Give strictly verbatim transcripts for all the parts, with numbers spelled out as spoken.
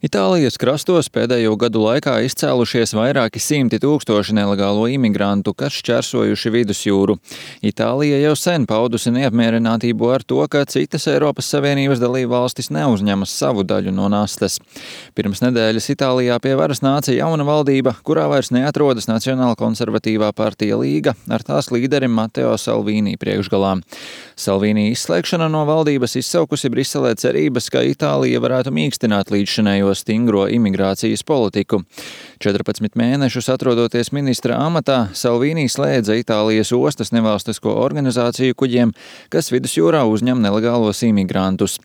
Itālijas krastos pēdējo gadu laikā izcēlušies vairāki simti tūkstoši nelegālo imigrantu, kas šķērsojuši vidusjūru. Itālija jau sen paudusi neapmierinātību ar to, ka citas Eiropas Savienības dalībvalstis neuzņemas savu daļu no nastas. Pirms nedēļas Itālijā pie varas nāca jauna valdība, kurā vairs neatrodas Nacionāla konservatīvā partija Līga ar tās līderi Mateo Salvini priekšgalā. Salvini izslēgšana no valdības izsaukusi Briselē cerības, ka Itālija varētu mīkstināt līdzšinējo stingro imigrācijas politiku. četrpadsmit mēnešus atrodoties ministra amatā, Salvini slēdza Itālijas ostas nevalstisko organizāciju kuģiem, kas vidusjūrā uzņem nelegālos imigrantus.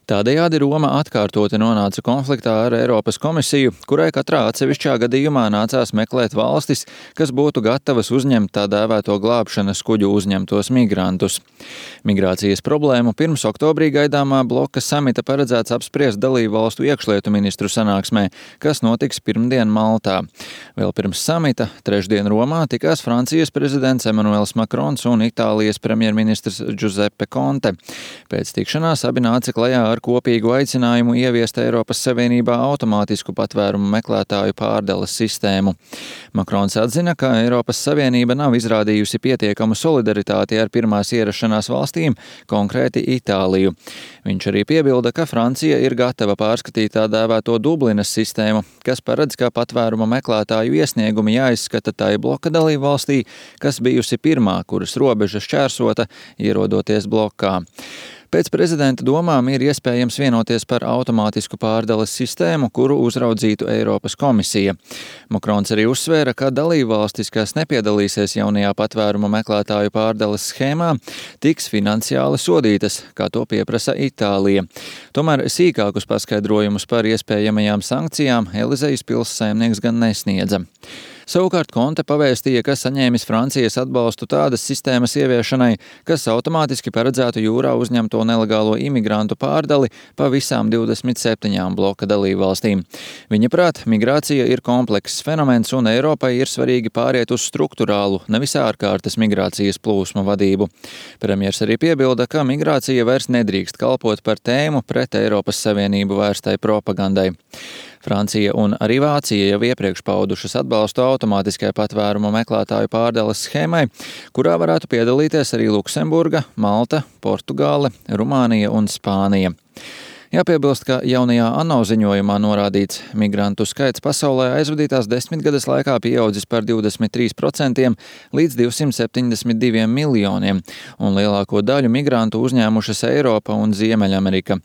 Tādējādi Roma atkārtoti nonāca konfliktā ar Eiropas komisiju, kurai katrā atsevišķā gadījumā nācās meklēt valstis, kas būtu gatavas uzņemt tā dēvēto glābšanas kuģu uzņemtos migrantus. Migrācijas problēmu pirms oktobrī gaidāmā bloka samita paredzēts apspriest dalību valstu iekšlietu ministru sanāksmē, kas notiks pirmdien Maltā. Vēl pirms samita trešdien Romā tikās Francijas prezidents Emmanuels Macrons un Itālijas premjerministrs Giuseppe Conte. Pēc tikšanās abi nāca klajā ar kopīgu aicinājumu ieviest Eiropas Savienībā automātisku patvērumu meklētāju pārdales sistēmu. Macrons atzina, ka Eiropas Savienība nav izrādījusi pietiekamu solidaritāti ar pirmās ierašanās valstīm, konkrēti Itāliju. Viņš arī piebilda, ka Francija ir gatava pārskatīt tā dēvēto Dublinas sistēmu, kas paredz, ka patvēruma meklētāju iesniegumi jāizskata tai bloka dalību valstī, kas bijusi pirmā, kuras robeža šķērsota, ierodoties blokā. Pēc prezidenta domām ir iespējams vienoties par automātisku pārdales sistēmu, kuru uzraudzītu Eiropas komisija. Macrons arī uzsvēra, ka dalībvalstis, kas nepiedalīsies jaunajā patvēruma meklētāju pārdales schēmā, tiks finansiāli sodītas, kā to pieprasa Itālija. Tomēr sīkākus paskaidrojumus par iespējamajām sankcijām Elizejas pils saimnieks gan nesniedza. Savukārt Conte pavēstīja, ka saņēmis Francijas atbalstu tādas sistēmas ieviešanai, kas automātiski paredzētu jūrā uzņemto nelegālo imigrantu pārdali pa visām divdesmit septiņām bloka dalībvalstīm. Viņa prāt, migrācija ir komplekss fenomens un Eiropai ir svarīgi pāriet uz strukturālu, nevis ārkārtas migrācijas plūsmu vadību. Premjers arī piebilda, ka migrācija vairs nedrīkst kalpot par tēmu pret Eiropas Savienību vērstai propagandai. Francija un arī Vācija jau iepriekš paudušas atbalstu automātiskai patvērumu meklētāju pārdales schēmai, kurā varētu piedalīties arī Luksemburga, Malta, Portugāle, Rumānija un Spānija. Jāpiebilst, ka jaunajā ANO ziņojumā norādīts migrantu skaits pasaulē aizvadītās desmitgades laikā pieaudzis par divdesmit trīs procentiem līdz divsimt septiņdesmit diviem miljoniem, un lielāko daļu migrantu uzņēmušas Eiropa un Ziemeļamerika.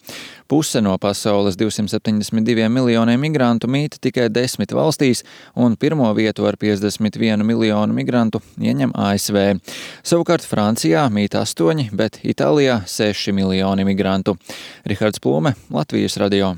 Puse no pasaules divsimt septiņdesmit diviem miljoniem migrantu mīt tikai desmit valstīs, un pirmo vietu ar piecdesmit vienu miljonu migrantu ieņem A S V. Savukārt Francijā mīt astoņi, bet Itālijā seši miljoni migrantu. Rihards Plūme, Latvijas radio.